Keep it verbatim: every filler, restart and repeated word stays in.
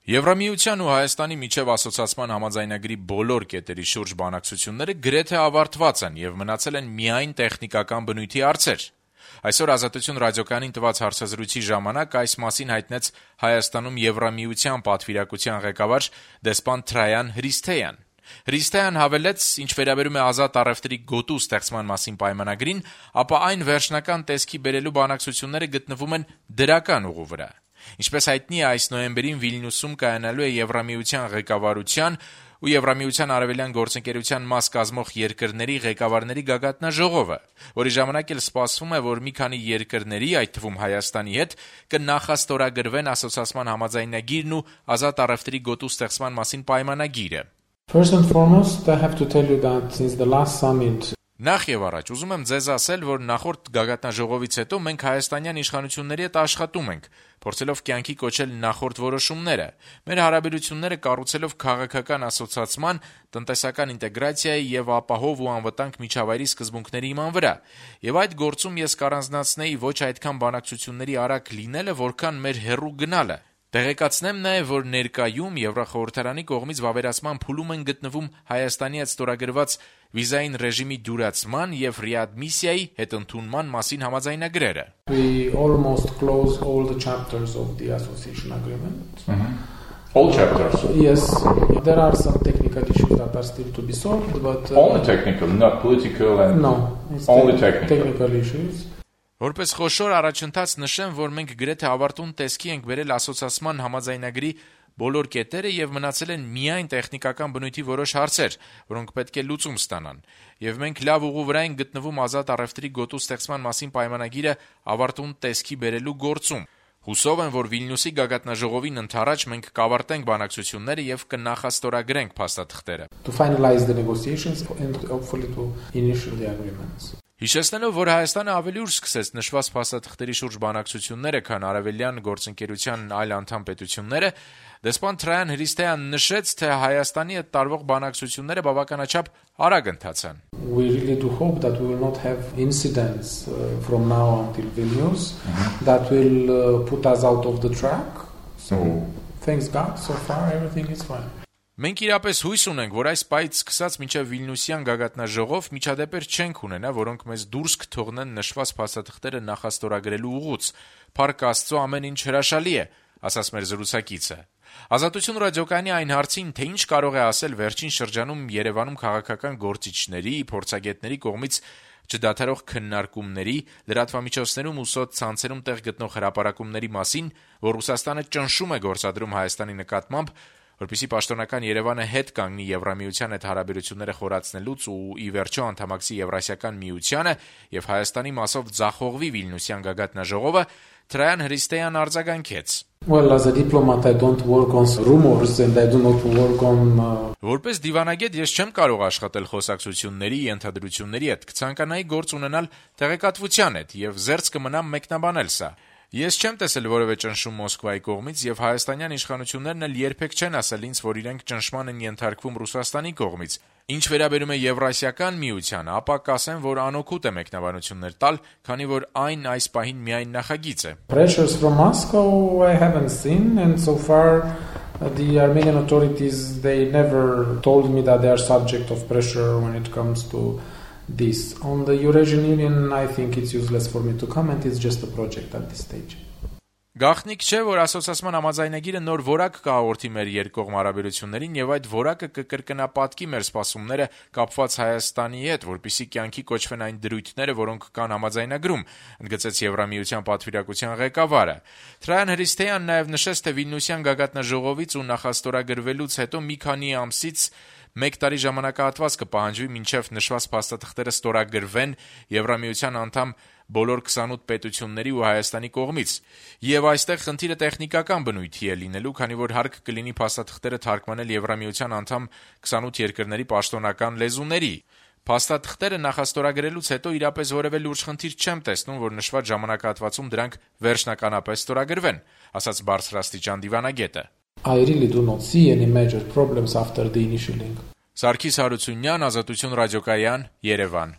Եվրամիության ու Հայաստանի միջև ասոցացման համաձայնագրի բոլոր կետերի շուրջ բանակցությունները գրեթե ավարտված են եւ մնացել են միայն տեխնիկական բնույթի հարցեր։ Այսօր Ազատություն ռադիոկայանին տված հարցազրույցի ժամանակ այս մասին հայտնեց Հայաստանում Եվրամիության պատվիրակության ղեկավար դեսպան Թրայան Հրիսթեյան։ Հրիսթեյան հավելեց, ինչ վերաբերում է ազատ առևտրի գոտու ստեղծման մասին պայմանագրին, ապա այն վերջնական տեսքի բերելու բանակցությունները գտնվում են դրական ուղու վրա։ Ինչպես հայտնի է, այս նոյեմբերին Վիլնյուսում կայանալու է Եվրամիության ղեկավարության ու Եվրամիության արևելյան գործընկերության մաս կազմող երկրների ղեկավարների գագաթնաժողովը, որի ժամանակ էլ սպասվում է, որ մի քանի երկրների, այդ թվում Հայաստանի հետ, կնախաստորագրվեն ասոցացման համաձայնագիրն ու ազատ առևտրի գոտու ստեղծման մասին պայմանագիրը։ First and foremost, I have to tell you that since the last summit Նախ եւ առաջ ուզում եմ ձեզ ասել, որ նախորդ գագաթնաժողովից հետո մենք հայաստանյան իշխանությունների հետ աշխատում ենք, փորձելով կյանքի կոչել նախորդ որոշումները, մեր հարաբերությունները կառուցելով քաղաքական ասոցացման, տնտեսական ինտեգրացիայի եւ ապահով ու անվտանգ միջավայրի սկզբունքների իման վրա։ Եվ այդ գործում ես կառանձնացնեի ոչ այդքան բանակցությունների արագ լինելը, որքան մեր հեռու գնալը։ Տեղեկացնեմ նաև, որ ներկայում Եվրախորհրդարանի կողմից վավերացման փուլում են գտնվում Հայաստանի հետ ստորագրված վիզային ռեժիմի դյուրացման եւ ռեադմիսիայի հետընդունման մասին համաձայնագրերը։ We almost close all the chapters of the association agreement. Mm-hmm. All chapters? Yes. There are some technical issues that are still to be solved, but... Uh, only technical, not political and... No, it's only te- technical. technical issues. Որպես խոշոր առաջընթաց նշեմ, որ մենք գրեթե ավարտուն տեսքի ենք բերել ասոցացման համաձայնագրի բոլոր կետերը եւ մնացել են միայն տեխնիկական բնույթի որոշ հարցեր, որոնք պետք է լուծում ստանան։ Եվ մենք լավ ուղու վրա ենք գտնվում ազատ առևտրի գոտու ստեղծման մասին պայմանագիրը ավարտուն տեսքի բերելու գործում։ Հուսով եմ, որ Վիլնյուսի գագաթնաժողովին ընդառաջ մենք կավարտենք բանակցությունները եւ կնախաստորագրենք փաստաթղթերը։ To finalize the negotiations and hopefully to initiate the agreements. Հիշեցնելով, որ Հայաստանը ավելի ուշ սկսեց նշված փաստաթղթերի շուրջ բանակցությունները, քան արևելյան գործընկերության այլ անդամ պետությունները, դեսպան Թրայան Հրիսթեյան նշեց, թե Հայաստանի հետ տարվող բանակցությունները բավականաչափ արագ ընթացան։ We really do hope that we will not have incidents uh, from now until Vilnius mm-hmm. that will uh, put us out of the track. So mm-hmm. thanks God, so far everything is fine. Մենք իրապես հույս ունենք, որ այս պայից սկսած մինչև Վիլնյուսյան գագաթնաժողով միջադեպեր չենք ունենա, որոնք մեզ դուրս կթողնեն նշված փաստաթղթերը նախաստորագրելու ուղուց։ Փառք Աստծո, ամեն ինչ հրաշալի է, ասաց մեր զրուցակիցը։ Ազատություն ռադիոկայանի այն հարցին, թե ինչ կարող է ասել վերջին շրջանում Երևանում քաղաքական գործիչների, փորձագետների կողմից չդադարող քննարկումների, լրատվամիջոցներում ու սոցցանցերում տեղ գտնող հրապարակումների մասին, որ Ռուսաստանը ճնշում է գործադրում Հայաստանի նկատմամբ, որպեսզի պաշտոնական Երևանը հետ կանգնի Եվրամիության հետ հարաբերությունները խորացնելուց ու ի վերջո անդամակցի Եվրասիական միությանը եւ Հայաստանի մասով ձախողվի Վիլնյուսյան գագաթնաժողովը, Թրայան Հրիսթեյան արձագանքեց. Well, as a diplomat, I don't work on rumors and I do not work on... Uh... Որպես դիվանագետ ես չեմ կարող աշխատել խոսակցությունների, ենթադրությունների հետ, կցանկանայի գործ ունենալ տեղեկատվության հետ եւ զերծ կմնամ մեկնաբանել սա։ Ես չեմ տեսել որևէ ճնշում Մոսկվայի կողմից եւ հայաստանյան իշխանություններն էլ երբեք չեն ասել ինձ, որ իրենք ճնշման են ենթարկվում Ռուսաստանի կողմից։ Ինչ վերաբերում է Եվրասիական միությանը, ապա կասեմ, որ անօգուտ է մեկնաբանություններ տալ, քանի որ այն այս պահին միայն նախագիծ է։ Pressures from Moscow I haven't seen and so far the Armenian authorities they never told me that they are subject of pressure when it comes to this. On the Eurasian Union, I think it's useless for me to comment. It's just a project at this stage. Գաղտնիք չէ, որ ասոցացման համաձայնագիրը նոր որակ կհաղորդի մեր երկկողմ հարաբերություններին եւ այդ որակը կկրկնապատկի մեր սպասումները կապված Հայաստանի հետ, որպեսզի կյանքի կոչվեն այն դրույթները, որոնք կան համաձայնագրում, ընդգծեց Եվրամիության պատվիրակության ղեկավարը։ Թրայան Հրիսթեյան նաեւ նշեց, թե Վիլնյուսյան գագաթնաժողովից ու նախաստորագրվելուց հետո մի քանի ամսից մեկ տարի ժամանակահատված կպահանջվի մինչև նշված փաստաթղթերը ստորագրվեն Եվրամիության անդամ բոլոր քսանութ պետությունների ու Հայաստանի կողմից։ Եվ այստեղ խնդիրը տեխնիկական բնույթի է լինելու, քանի որ հարկ կլինի փաստաթղթերը թարգմանել Եվրամիության անդամ քսանութ երկրների պաշտոնական լեզուների։ Փաստաթղթերը նախաստորագրելուց հետո իրապես որևէ լուրջ խնդիր չեմ տեսնում, որ նշված ժամանակահատվածում դրանք վերջնականապես ստորագրվեն, ասաց բարձրաստիճան դիվանագետը։ I really do not see any major problems after the initialing. Սարգիս Հարությունյան, Ազատություն ռադիոկայան, Երևան։